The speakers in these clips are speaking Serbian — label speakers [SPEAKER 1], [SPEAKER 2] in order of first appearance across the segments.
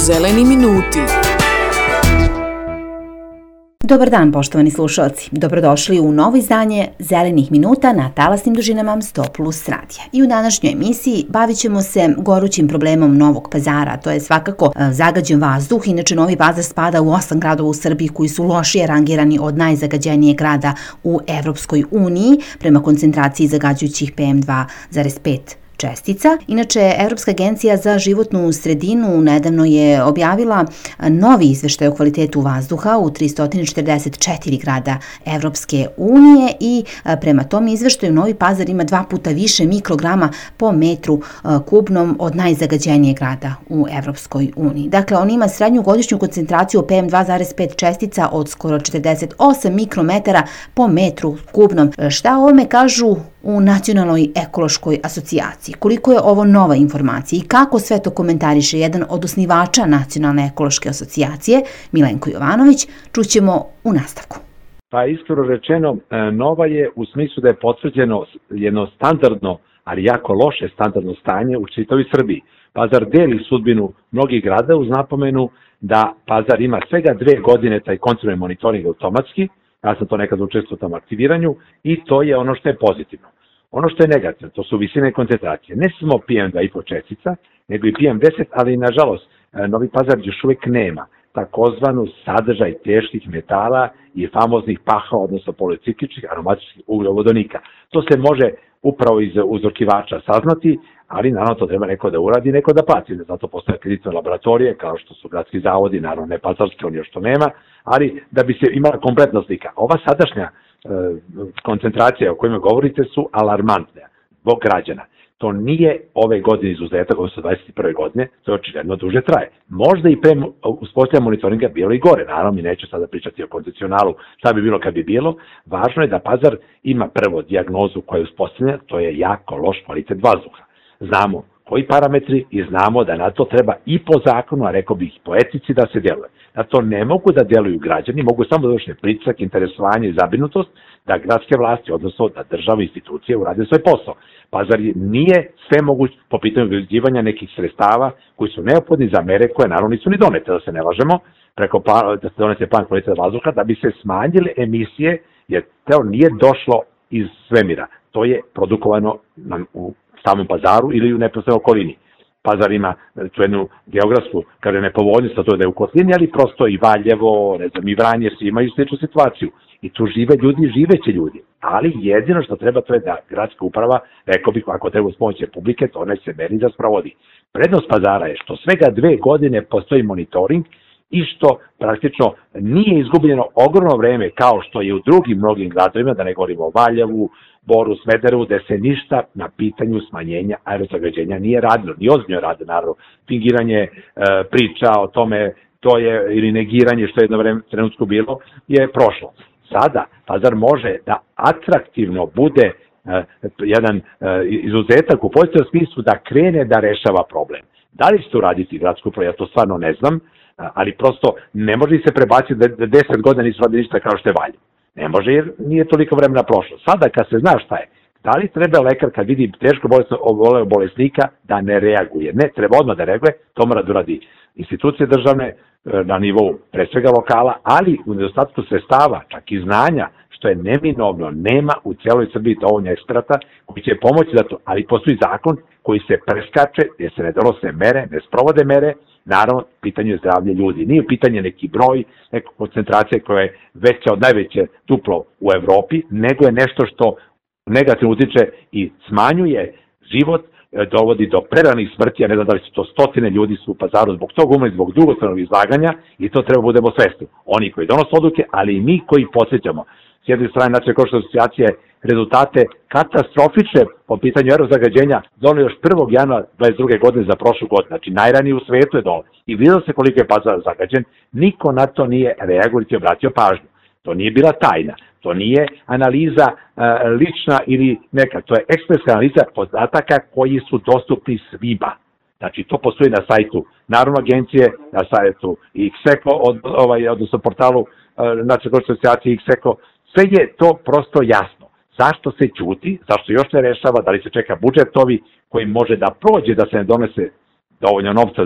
[SPEAKER 1] Zeleni minuti.
[SPEAKER 2] Dobar dan, poštovani slušalci. Dobrodošli u novo izdanje Zelenih minuta na talasnim dužinama 100+ radija. I u današnjoj emisiji bavit ćemo se gorućim problemom Novog Pazara. To je svakako zagađen vazduh. Inače, Novi Pazar spada u 8 gradova u Srbiji koji su lošije rangirani od najzagađenijeg grada u Evropskoj uniji prema koncentraciji zagađujućih PM2,5 čestica. Inače, Evropska agencija za životnu sredinu nedavno je objavila novi izveštaj o kvalitetu vazduha u 344 grada Evropske unije i prema tom izveštaju Novi Pazar ima 2 puta više mikrograma po metru kubnom od najzagađenijeg grada u Evropskoj uniji. Dakle, on ima srednju godišnju koncentraciju PM2,5 čestica od skoro 48 mikrometara po metru kubnom. Šta o ovome kažu u Nacionalnoj ekološkoj asocijaciji? Koliko je ovo nova informacija i kako sve to komentariše jedan od osnivača Nacionalne ekološke asocijacije, Milenko Jovanović, čućemo u nastavku.
[SPEAKER 3] Pa iskreno rečeno, nova je u smislu da je potvrđeno jedno standardno, ali jako loše standardno stanje u čitavoj Srbiji. Pazar deli sudbinu mnogih grada uz napomenu da Pazar ima svega 2 godine taj kontinuirani monitoring automatski. Ja sam to nekad učestvovao u tom aktiviranju i to je ono što je pozitivno. Ono što je negativno, to su visine koncentracije. Ne samo PM2,5 čestica, nego i PM10, ali nažalost Novi Pazar još uvijek nema takozvanu sadržaj teških metala i famoznih paha, odnosno policikličnih aromatičnih ugljovodonika. To se može upravo iz uzorkivača saznati, ali naravno to treba neko da uradi, neko da plati. Zato postoje akreditovane laboratorije, kao što su gradski zavodi, naravno ne pazarski, on još to nema, ali da bi se imala kompletna slika. Ova sadašnja koncentracija o kojima govorite su alarmantne zbog građana. To nije ove godine izuzetak, odnosno 21. godine, to je očigledno duže traje. Možda i pre uspostavljanja monitoringa bilo i gore, naravno mi neću sada pričati o kondicionalu, šta bi bilo kad bi bilo. Važno je da Pazar ima prvo dijagnozu koja je uspostavljena, to je jako loš kvalitet vazduha. Znamo koji parametri i znamo da na to treba i po zakonu, a rekao bih po etici da se deluje. Na to ne mogu da deluju građani, mogu samo da vrše pritisak, interesovanje i zabrinutost da gradske vlasti, odnosno da država i institucije urade svoj posao. Pazar nije sve moguće po pitanju obezbeđivanja nekih sredstava koji su neophodni za mere koje naravno nisu ni donete, da se ne lažemo, da se donese plan kvaliteta vazduha, da bi se smanjile emisije, jer to nije došlo iz svemira. To je produkovano u samom Pazaru ili u neposrednoj okolini. Pazar ima tu jednu geografsku, kaže nepovoljnost, a to je da je u kotlini, ali prosto i Valjevo, ne znam, i Vranje, svi imaju sličnu situaciju. I tu žive ljudi, živeće ljudi. Ali jedino što treba to je da gradska uprava, rekao bih, ako treba uz pomoć publike, to ne se meri da sprovodi. Prednost Pazara je što svega 2 godine postoji monitoring i što praktično nije izgubljeno ogromno vreme kao što je u drugim mnogim gradovima, da ne govorimo o Valjevu, Boru, Smederevu, da se ništa na pitanju smanjenja aerozagađenja nije radilo. Ni ozbiljno rade, naravno. Fingiranje priča o tome, to je, ili negiranje što je jedno vreme trenutku bilo, je prošlo. Sada Pazar može da atraktivno bude jedan izuzetak u pozitivnom smislu da krene da rešava problem. Da li će to uraditi gradsku upravu, ja to stvarno ne znam, ali prosto ne može se prebaciti da 10 godina nisu radili ništa kao što je Valjevo. Ne može jer nije toliko vremena prošlo. Sada kad se zna šta je, da li treba lekar kad vidi teško bolesnika da ne reaguje? Ne, treba odmah da reaguje, to mora da uradi institucije državne na nivou pre svega lokala, ali u nedostatku sredstava, čak i znanja, što je neminovno, nema u cijeloj Srbiji dovoljno eksperata koji će pomoći za to, ali postoji zakon koji se preskače, gdje se ne donose mere, ne sprovode mere, naravno, pitanje je zdravlje ljudi. Nije pitanje neki broj, neka koncentracija koja je veća od najveće duplo u Evropi, nego je nešto što negativno utiče i smanjuje život, dovodi do preranih smrti, a ne znam da li su to stotine ljudi su u Pazaru zbog toga umrli, zbog dugotrajnog izlaganja i to treba budemo svesni. Oni koji donose odluke, ali i mi koji podsjećamo. S jedne strane, Nacionalna ekološka asocijacija rezultate katastrofične po pitanju aerozagađenja doneli još 1. januara 2022. godine za prošlu godinu. Znači, najranije u svetu je dole. I vidio se koliko je Pazar zagađen, niko na to nije reagujući obratio pažnju. To nije bila tajna, to nije analiza lična ili neka, to je ekspresna analiza podataka koji su dostupni svima. Znači, to postoji na sajtu Narodne agencije, na sajtu XECO, odnosno portalu Nacionalne ekološke asocijacije XECO. Sve je to prosto jasno. Zašto se ćuti, zašto još ne rešava, da li se čeka budžet ovi koji može da prođe, da se ne donese dovoljno novca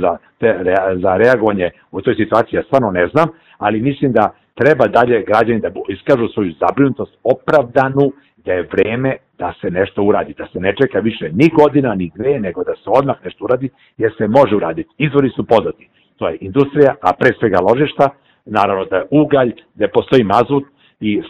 [SPEAKER 3] za reagovanje u toj situaciji, ja stvarno ne znam, ali mislim da treba dalje građani da iskažu svoju zabrinutost opravdanu, da je vreme da se nešto uradi, da se ne čeka više ni godina, ni dve, nego da se odmah nešto uradi, jer se može uraditi. Izvori su poznati. To je industrija, a pre svega ložišta, naravno da je ugalj, da postoji mazut i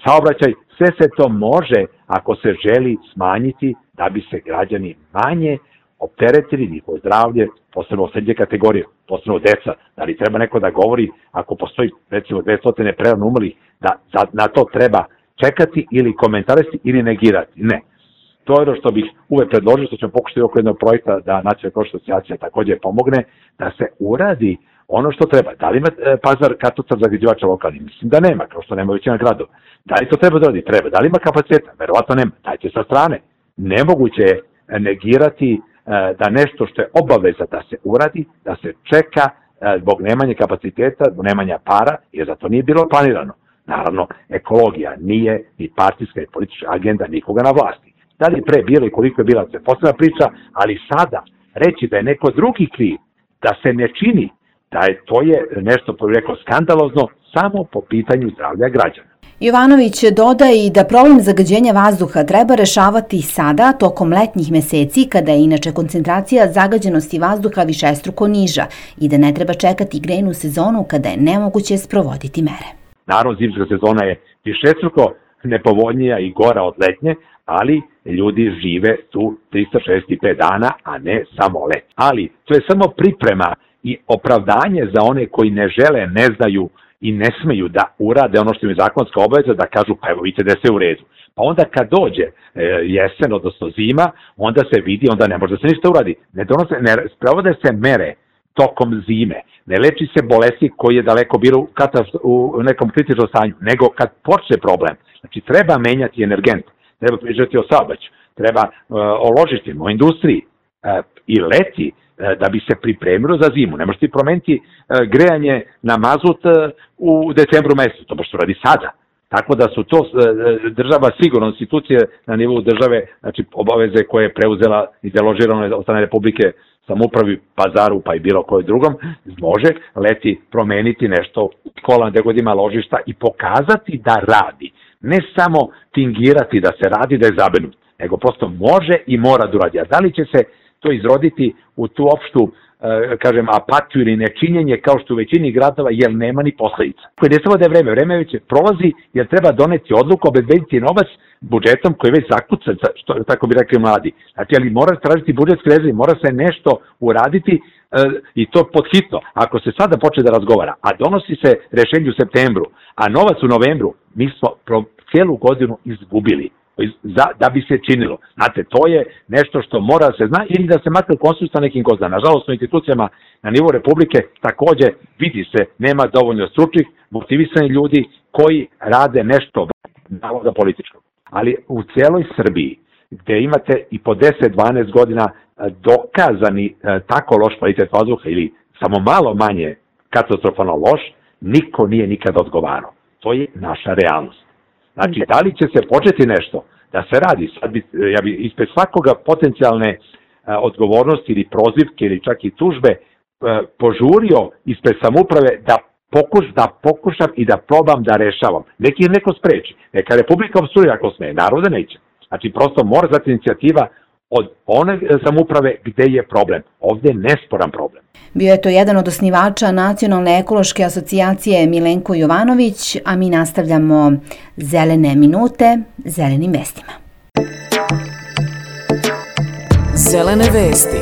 [SPEAKER 3] saobraćaj, sve se to može ako se želi smanjiti da bi se građani manje opteretili njihovo zdravlje, posebno osjetljive kategorije, posebno deca. Da li treba neko da govori ako postoji recimo 200 prerano umrlih, da na to treba čekati ili komentarisati ili negirati? Ne. To je ono što bih uvek predložio, što ćemo pokušati oko jednog projekta da Nacionalna ekološka asocijacija takođe pomogne, da se uradi ono što treba. Da li ima Pazar katastar zagađivača lokalni? Mislim da nema, kao što nema većina gradova. Da li to treba da radi? Treba. Da li ima kapaciteta? Verovatno nema. Dajte sa strane. Nemoguće je negirati da nešto što je obaveza da se uradi, da se čeka zbog nemanja kapaciteta, zbog nemanja para, jer za to nije bilo planirano. Naravno, ekologija nije ni partijska i politička agenda nikoga na vlasti. Da li je pre bilo i koliko je bila, se posebna priča, ali sada reći da je neko drugi kriv, da se ne čini, to je nešto, rekao, skandalozno samo po pitanju zdravlja građana.
[SPEAKER 2] Jovanović dodaje i da problem zagađenja vazduha treba rešavati sada, tokom letnjih meseci, kada je inače koncentracija zagađenosti vazduha višestruko niža i da ne treba čekati grejnu sezonu kada je nemoguće sprovoditi mere.
[SPEAKER 3] Naravno, zimska sezona je višestruko nepovoljnija i gora od letnje, ali ljudi žive tu 365 dana, a ne samo let. Ali to je samo priprema i opravdanje za one koji ne žele, ne znaju i ne smeju da urade ono što im je zakonska obaveza, da kažu pa evo vidite da je sve u redu. Pa onda kad dođe jesen, odnosno zima, onda se vidi, onda ne može da se ništa uradi. Ne sprovode se mere tokom zime, ne leči se bolesti koji je daleko bilo u nekom kritičnom stanju, nego kad počne problem. Znači treba menjati energent, treba pričati o saobraćaju, treba o ložištima, o industriji i leti da bi se pripremilo za zimu. Ne možeš ti promeniti grejanje na mazut u decembru mesecu, to baš se radi sada. Tako da su to država sigurno institucije na nivou države, znači obaveze koje je preuzela i deložirano od strane Republike, samoupravi, Pazaru pa i bilo koje drugom, može leti promeniti nešto, škola gde god ima ložišta i pokazati da radi. Ne samo fingirati da se radi, da je zabrinut, nego prosto može i mora da uradi. A da li će se to izroditi u tu opštu, kažem, apatiju ili nečinjenje kao što u većini gradova, jer nema ni posledica. Koje ne samo da je vreme već prolazi, jer treba doneti odluku, obezbediti novac budžetom koji je već zakucan, što tako bi rekli mladi. Znači, ali mora tražiti budžetske rezerve, mora se nešto uraditi i to podhitno. Ako se sada počne da razgovara, a donosi se rešenje u septembru, a novac u novembru, mi smo cijelu godinu izgubili da bi se činilo. Znate, to je nešto što mora da se zna ili da se makar konsultuje sa nekim ko zna. Nažalost, u institucijama na nivou Republike takođe vidi se, nema dovoljno stručnih, motivisanih ljudi koji rade nešto navoda političkog. Ali u celoj Srbiji, gde imate i po 10-12 godina dokazani tako loš kvalitet vazduha ili samo malo manje katastrofalno loš, niko nije nikada odgovarao. To je naša realnost. Znači, da li će se početi nešto da se radi? Ja bi ispred svakoga potencijalne odgovornosti ili prozivke ili čak i tužbe požurio ispred samouprave da pokušam i da probam da rešavam. Neki neko spreči. Neka Republika obstruira ako sme, narode neće. Znači, prosto mora dati inicijativa od one samouprave gde je problem. Ovde je nesporan problem.
[SPEAKER 2] Bio je to jedan od osnivača Nacionalne ekološke asocijacije Milenko Jovanović, a mi nastavljamo Zelene minute zelenim vestima.
[SPEAKER 1] Zelene vesti.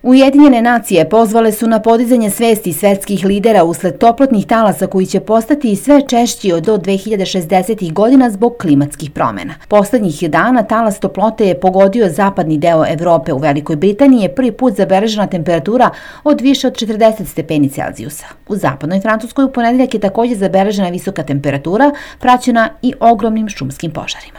[SPEAKER 2] Ujedinjene nacije pozvale su na podizanje svesti svetskih lidera usled toplotnih talasa koji će postati sve češći do 2060. godina zbog klimatskih promjena. Poslednjih dana talas toplote je pogodio zapadni deo Evrope. U Velikoj Britaniji je prvi put zabeležena temperatura od više od 40 stepeni Celzijusa. U zapadnoj Francuskoj u ponedeljak je također zabeležena visoka temperatura, praćena i ogromnim šumskim požarima.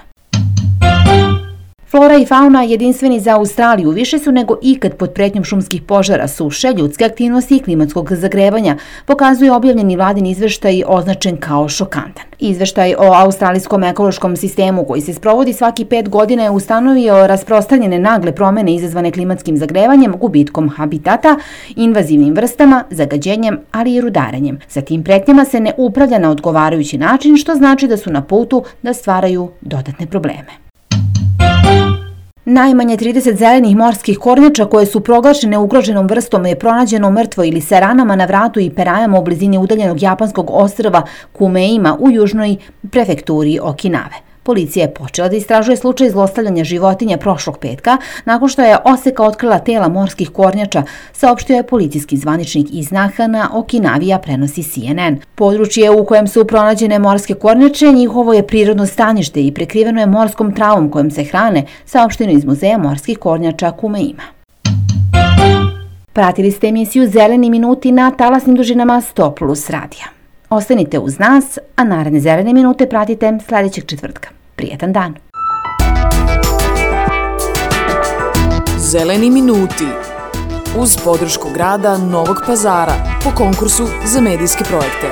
[SPEAKER 2] Flora i fauna jedinstveni za Australiju više su nego ikad pod pretnjom šumskih požara, suše, ljudske aktivnosti i klimatskog zagrevanja, pokazuje objavljeni vladin izveštaj označen kao šokantan. Izveštaj o australijskom ekološkom sistemu koji se sprovodi svaki 5 godina je ustanovio rasprostranjene nagle promene izazvane klimatskim zagrevanjem, gubitkom habitata, invazivnim vrstama, zagađenjem, ali i rudarenjem. Sa tim pretnjama se ne upravlja na odgovarajući način, što znači da su na putu da stvaraju dodatne probleme. Najmanje 30 zelenih morskih kornjača koje su proglašene ugroženom vrstom je pronađeno mrtvo ili sa ranama na vratu i perajama u blizini udaljenog japanskog ostrva Kumeima u južnoj prefekturi Okinave. Policija je počela da istražuje slučaj zlostavljanja životinja prošlog petka nakon što je Oseka otkrila tela morskih kornjača, saopštio je policijski zvaničnik iz Nahana, Okinavija prenosi CNN. Područje u kojem su pronađene morske kornjače njihovo je prirodno stanište i prekriveno je morskom travom kojom se hrane, saopšteno iz Muzeja morskih kornjača Kumeima. Pratili ste emisiju Zeleni minuti na talasnim dužinama 100+ radija. Ostanite uz nas, a naredne zelene minute pratite sljedećeg četvrtka. Prijetan dan!
[SPEAKER 1] Zeleni minuti uz podršku grada Novog Pazara po konkursu za medijske projekte.